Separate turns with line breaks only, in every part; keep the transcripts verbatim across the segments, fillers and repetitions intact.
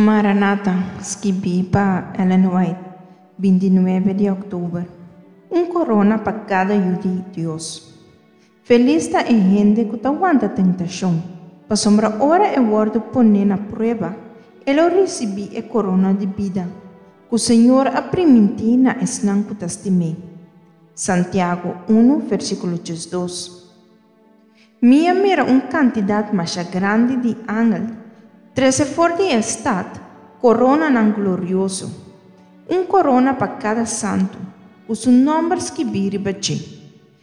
Maranata, skibí pa Ellen White, binti nuebe di òktober. Un korona pa kada yu di Dios. Felis ta e hende ku ta wanta tentashon, pasobra ora e wòrdu poné na prueba, e lo risibí e korona di bida, ku Señor a primintí na esnan ku ta stim'é. Santiago un, versíkulo diesdos. Mi a mira un kantidat masha grandi di angel, trese for di e stat koronanan glorioso, un korona pa kada santu, ku su nòmber skibí riba dje.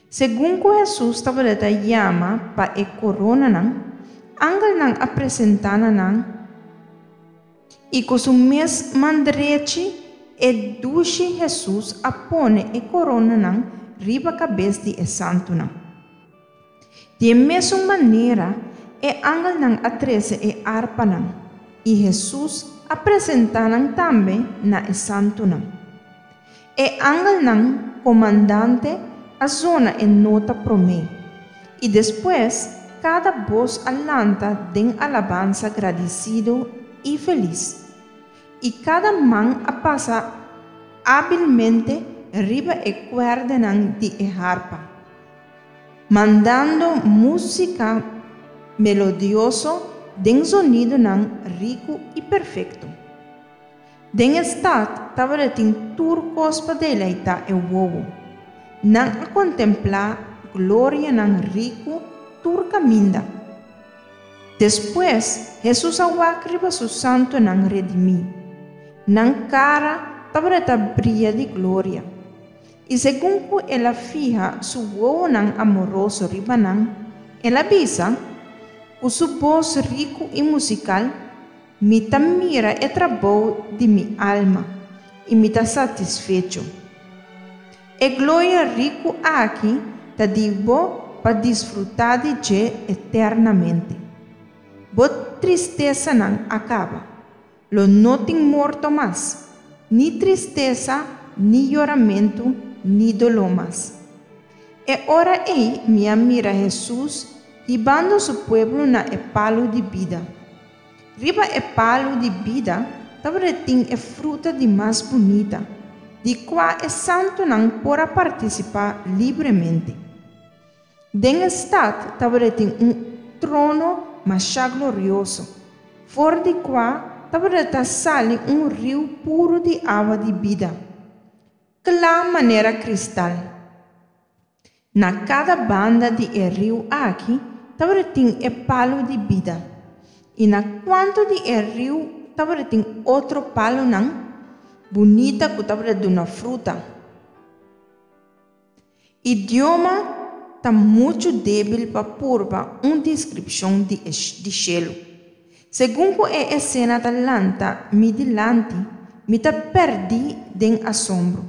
Segun ku Hesus tabata yama pa e koronanan, angelnan a presentá na nan, i ku su mes man drechi e dushi Hesus a pone e koronanan riba kabes di e santunan. Di e mesun manera, e angelnan a trese e arpanan, i Hesus a presentá nan tambe na e santunan. E angelnan komandante a zona e nota promé, i despues kada bos a lanta den alabansa gradisido i felis. I kada man a pasa hábilmente riba e kuerdanan di e harpa, mandando músika melodioso den zonidonan riku i perfekto. Den e stat tabatin tur kos pa deleitá e wowo. Nan a kontemplá glorianan riku tur kaminda. Despues, Hesus a wak riba su santunan redimí. Nan kara tabata bria di gloria. I segun ku el a fiha su wowonan amoroso riba nan, el a bisa, ku su bos riku i musikal, Mi ta mira e trabou di mi alma, i mi ta satisfecho. E gloria riku aki ta di bo pa disfrutá di dje eternamente. Bo tristesanan a kaba. Lo no tin morto mas, ni tristesa, ni yoramentu, ni doló mas. E ora ei mi a mira Hesus hibando su pueblo na e palu di bida. Riba e palu di bida tabatin e fruta di mas bunita, di kua e santunan por a partisipá libremente. Den e stat tabatin un trono masha glorioso, for di kua tabata sali un riu puru di awa di bida, kla manera kristal. Na kada banda di e riu aki tabatin e palu di bida, i na kantu di e riu tabatin otro palunan bunita ku tabata duna fruta. Idioma ta muchu débil pa purba un deskripshon di di shelu. Segun ku e esena ta lanta mi dilanti, mi ta pèrdí den asombro.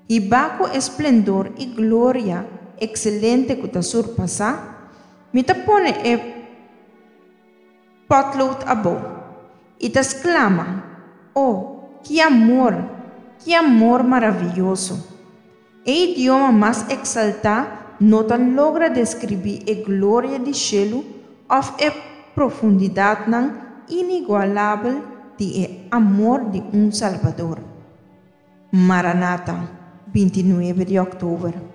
Hibá ku esplendor i gloria ekselente ku ta surpasá, mi ta pone e potlood abou i ta sklama, Oh, ki amor, ki amor maravioso! E idioma mas eksaltá no ta logra deskribí e gloria di shelu òf e profundidatnan inigualabel di e amor di un Salbador. Maranata, binti nuebe di òktober.